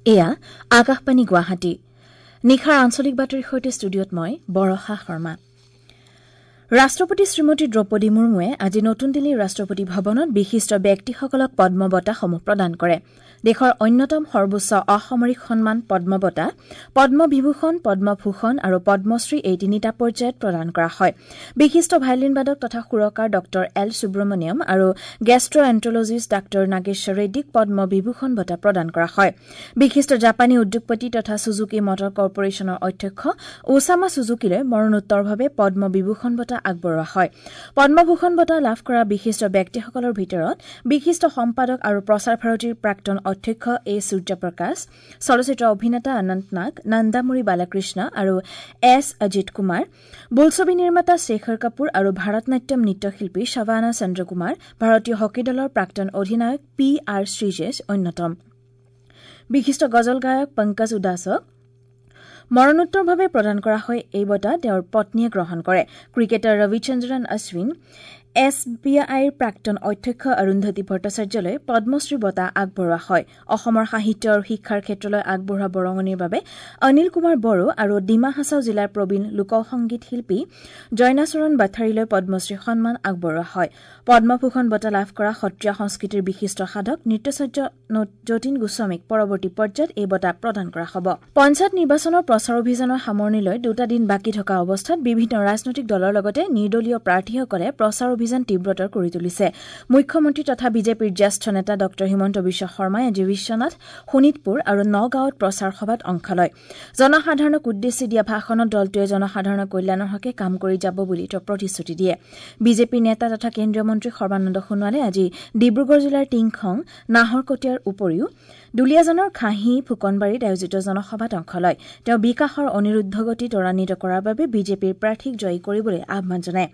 এয়া আকাশবাণী গুৱাহাটী। নিশাৰ আঞ্চলিক বাতৰিৰ সৈতে ষ্টুডিঅ'ত মই বৰষা শৰ্মা। ৰাষ্ট্ৰপতি শ্ৰীমতী দ্ৰৌপদী মুৰ্মুৱে আজি নতুন দিল্লীৰ ৰাষ্ট্ৰপতি ভৱনত বিশিষ্ট ব্যক্তিসকলক পদ্ম বঁটাসমূহ প্ৰদান কৰে। দেশৰ অন্যতম সৰ্বোচ্চ অসামৰিক সন্মান পদ্ম বঁটা, পদ্মবিভূষণ, পদ্মভূষণ আৰু পদ্মশ্ৰী এই তিনিটা পৰ্যায়ত প্ৰদান কৰা হয়। বিশিষ্ট ভায়লিনবাদক তথা সুৰকাৰ ডঃ এল সুব্ৰমণিয়ম আৰু গেষ্ট্ৰএণ্ট্ৰলজিষ্ট ডাঃ নাগেশ্বৰ ৰেড্ডীক পদ্মবিভূষণ বঁটা প্ৰদান কৰা হয়। বিশিষ্ট জাপানী উদ্যোগপতি তথা ছুজুকি মটৰ কৰ্পৰেশ্যনৰ অধ্যক্ষ ওছামা ছুজুকিলৈ মৰণোত্তৰভাৱে পদ্মবিভূষণ বঁটা আগবঢ়োৱা হয়। পদ্মভূষণ বঁটা লাভ কৰা বিশিষ্ট ব্যক্তিসকলৰ ভিতৰত বিশিষ্ট সম্পাদক আৰু প্ৰসাৰ ভাৰতীৰ প্ৰাক্তন অধ্যক্ষ এ সূৰ্যপ্ৰকাশ, চলচ্চিত্ৰ অভিনেতা অনন্ত নাগ, নন্দামুৰি বালাকৃষ্ণ আৰু এছ অজিত কুমাৰ, বোলছবি নিৰ্মাতা শেখৰ কাপুৰ আৰু ভাৰতনাট্যম নৃত্যশিল্পী শবানা চন্দ্ৰকুমাৰ, ভাৰতীয় হকী দলৰ প্ৰাক্তন অধিনায়ক পি আৰ শ্ৰীজেশ অন্যতম। বিশিষ্ট গজল গায়ক পংকজ উদাসক মৰণোত্তৰভাৱে প্ৰদান কৰা হয় এই বঁটা, তেওঁৰ পত্নীয়ে গ্ৰহণ কৰে। Cricketer Ravichandran Ashwin, S B আইৰ প্ৰাক্তন অধ্যক্ষ অৰুন্ধতী ভট্টাচাৰ্যলৈ পদ্মশ্ৰী বঁটা আগবঢ়োৱা হয়। অসমৰ সাহিত্য আৰু শিক্ষাৰ ক্ষেত্ৰলৈ আগবঢ়োৱা বৰঙণিৰ বাবে অনিল কুমাৰ বড়ো আৰু ডিমা হাছাও জিলাৰ প্ৰবীণ লোকসংগীত শিল্পী জয়নাচৰণ বাথাৰীলৈ পদ্মশ্ৰী সন্মান আগবঢ়োৱা হয়। পদ্মভূষণ বঁটা লাভ কৰা সত্ৰীয়া সংস্কৃতিৰ বিশিষ্ট সাধক নৃত্যাচাৰ্য যতীন গোস্বামীক পৰৱৰ্তী পৰ্যায়ত এই বঁটা প্ৰদান কৰা হ'ব। পঞ্চায়ত নিৰ্বাচনৰ প্ৰচাৰ অভিযানৰ সামৰণিলৈ দুটা দিন বাকী থকা অৱস্থাত বিভিন্ন ৰাজনৈতিক দলৰ লগতে নিৰ্দলীয় প্ৰাৰ্থীসকলে প্ৰচাৰ অভিযান তীব্ৰতৰ কৰি তুলিছে। মুখ্যমন্ত্ৰী তথা বিজেপিৰ জ্যেষ্ঠ নেতা ডঃ হিমন্ত বিশ্ব শৰ্মাই আজি বিশ্বনাথ, শোণিতপুৰ আৰু নগাঁৱত প্ৰচাৰ সভাত অংশ লয়। জনসাধাৰণক উদ্দেশ্যি দিয়া ভাষণত দলটোৱে জনসাধাৰণৰ কল্যাণৰ হকে কাম কৰি যাব বুলি তেওঁ প্ৰতিশ্ৰুতি দিয়ে। বিজেপিৰ নেতা তথা কেন্দ্ৰীয় মন্ত্ৰী সৰ্বানন্দ সোণোৱালে আজি ডিব্ৰুগড় জিলাৰ টিংখং, নাহৰকটীয়াৰ উপৰিও দুলীয়াজানৰ খাহী ফুকনবাৰীত আয়োজিত জনসভাত অংশ লয়। তেওঁ বিকাশৰ অনিৰুদ্ধ গতি ত্বৰান্বিত কৰাৰ বাবে বিজেপিৰ প্ৰাৰ্থীক জয়ী কৰিবলৈ আহ্বান জনায়।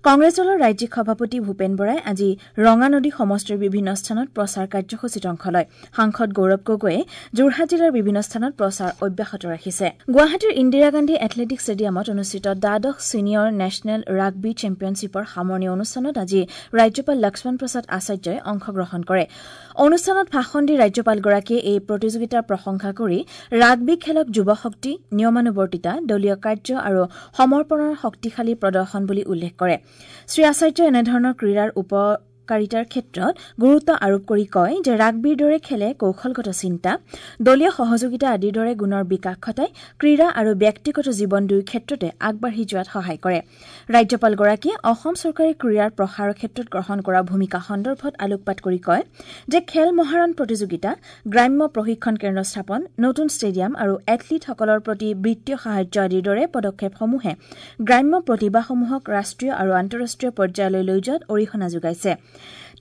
কংগ্ৰেছ দলৰ ৰাজ্যিক সভাপতি ভূপেন বৰাই আজি ৰঙানদী সমষ্টিৰ বিভিন্ন স্থানত প্ৰচাৰ কাৰ্যসূচীত অংশ লয়। সাংসদ গৌৰৱ গগৈয়ে যোৰহাট জিলাৰ বিভিন্ন স্থানত প্ৰচাৰ অব্যাহত ৰাখিছে। গুৱাহাটীৰ ইন্দিৰা গান্ধী এথলেটিক ষ্টেডিয়ামত অনুষ্ঠিত দ্বাদশ ছিনিয়ৰ নেশ্যনেল ৰাগবী চেম্পিয়নশ্বিপৰ সামৰণি অনুষ্ঠানত আজি ৰাজ্যপাল লক্ষ্মণ প্ৰসাদ আচাৰ্যই অংশগ্ৰহণ কৰে। অনুষ্ঠানত ভাষণ দি ৰাজ্যপালগৰাকীয়ে এই প্ৰতিযোগিতাৰ প্ৰশংসা কৰি ৰাগবী খেলক যুৱ শক্তি, নিয়মানুৱৰ্তিতা, দলীয় কাৰ্য আৰু সমৰ্পণৰ শক্তিশালী প্ৰদৰ্শন বুলি উল্লেখ কৰে। শ্ৰী আচাৰ্যই এনেধৰণৰ ক্ৰীড়াৰ উপকাৰিতাৰ ক্ষেত্ৰত গুৰুত্ব আৰোপ কৰি কয় যে ৰাগবীৰ দৰে খেলে কৌশলগত চিন্তা, দলীয় সহযোগিতা আদিৰ দৰে গুণৰ বিকাশ ঘটাই ক্ৰীড়া আৰু ব্যক্তিগত জীৱন দুয়ো ক্ষেত্ৰতে আগবাঢ়ি যোৱাত সহায় কৰে। ৰাজ্যপালগৰাকীয়ে অসম চৰকাৰে ক্ৰীড়াৰ প্ৰসাৰৰ ক্ষেত্ৰত গ্ৰহণ কৰা ভূমিকা সন্দৰ্ভত আলোকপাত কৰি কয় যে খেল মহাৰণ প্ৰতিযোগিতা, গ্ৰাম্য প্ৰশিক্ষণ কেন্দ্ৰ স্থাপন, নতুন ষ্টেডিয়াম আৰু এথলীটসকলৰ প্ৰতি বিত্তীয় সাহায্য আদিৰ দৰে পদক্ষেপসমূহে গ্ৰাম্য প্ৰতিভাসমূহক ৰাষ্ট্ৰীয় আৰু আন্তঃৰাষ্ট্ৰীয় পৰ্যায়লৈ লৈ যোৱাত অৰিহণা যোগাইছে।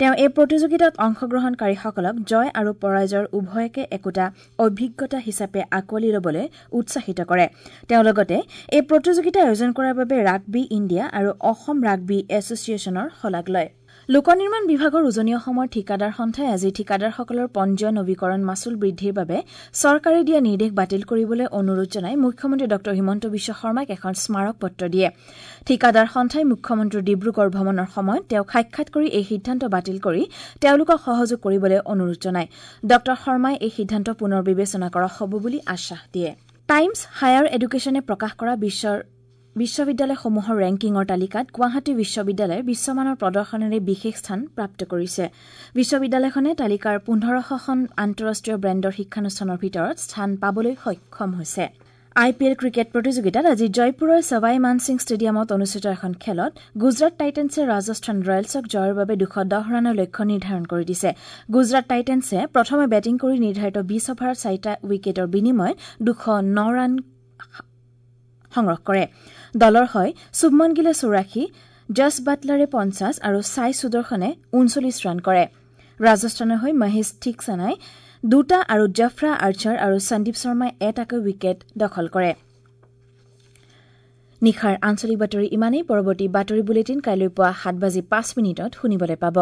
তেওঁ এই প্ৰতিযোগিতাত অংশগ্ৰহণকাৰীসকলক জয় আৰু পৰাজয়ৰ উভয়কে একোটা অভিজ্ঞতা হিচাপে আঁকোৱালি ল'বলৈ উৎসাহিত কৰে। তেওঁ লগতে এই প্ৰতিযোগিতা আয়োজন কৰাৰ বাবে ৰাগবী ইণ্ডিয়া আৰু অসম ৰাগবী এছ'চিয়েশ্যনৰ শলাগ লয়। লোক নিৰ্মাণ বিভাগৰ উজনি অসমৰ ঠিকাদাৰ সন্থাই আজি ঠিকাদাৰসকলৰ পঞ্জীয়ন নবীকৰণ মাচুল বৃদ্ধিৰ বাবে চৰকাৰে দিয়া নিৰ্দেশ বাতিল কৰিবলৈ অনুৰোধ জনাই মুখ্যমন্ত্ৰী ডঃ হিমন্ত বিশ্ব শৰ্মাক এখন স্মাৰক পত্ৰ দিয়ে। ঠিকাদাৰ সন্থাই মুখ্যমন্ত্ৰীৰ ডিব্ৰুগড় ভ্ৰমণৰ সময়ত তেওঁক সাক্ষাৎ কৰি এই সিদ্ধান্ত বাতিল কৰি তেওঁলোকক সহযোগ কৰিবলৈ অনুৰোধ জনায়। ডঃ শৰ্মাই এই সিদ্ধান্ত পুনৰ বিবেচনা কৰা হ'ব বুলি আশ্বাস দিয়ে। টাইমছ হায়াৰ এডুকেশ্যনে প্ৰকাশ কৰা বিশ্বৰ বিশ্ববিদ্যালয়সমূহৰ ৰেংকিঙৰ তালিকাত গুৱাহাটী বিশ্ববিদ্যালয়ে বিশ্বমানৰ প্ৰদৰ্শনেৰে বিশেষ স্থান প্ৰাপ্ত কৰিছে। বিশ্ববিদ্যালয়খনে তালিকাৰ ১৫০০খন আন্তঃৰাষ্ট্ৰীয় ব্ৰেণ্ডৰ শিক্ষানুষ্ঠানৰ ভিতৰত স্থান পাবলৈ সক্ষম হৈছে। আই পি এল ক্ৰিকেট প্ৰতিযোগিতাত আজি জয়পুৰৰ ছৱাই মানসিং ষ্টেডিয়ামত অনুষ্ঠিত এখন খেলত গুজৰাট টাইটেন্সে ৰাজস্থান ৰয়েলছক জয়ৰ বাবে ২১০ ৰানৰ লক্ষ্য নিৰ্ধাৰণ কৰি দিছে। গুজৰাট টাইটেন্সে প্ৰথমে বেটিং কৰি নিৰ্ধাৰিত ২০ অভাৰত চাৰিটা উইকেটৰ বিনিময়ত ২০৯ ৰান সংগ্ৰহ কৰে। দলৰ হৈ শুভমন গিলে ৮৪, জছ বাটলাৰে ৫০ আৰু ছাই সুদৰ্শনে ৩৯ ৰান কৰে। ৰাজস্থানৰ হৈ মহেশ থিকছানাই দুটা আৰু জফৰা আৰ্চাৰ আৰু সন্দীপ শৰ্মাই এটাকৈ উইকেট দখল কৰে। নিশাৰ আঞ্চলিক বাতৰি ইমানেই। পৰৱৰ্তী বাতৰি বুলেটিন কাইলৈ পুৱা ৭:০৫ শুনিবলৈ পাব।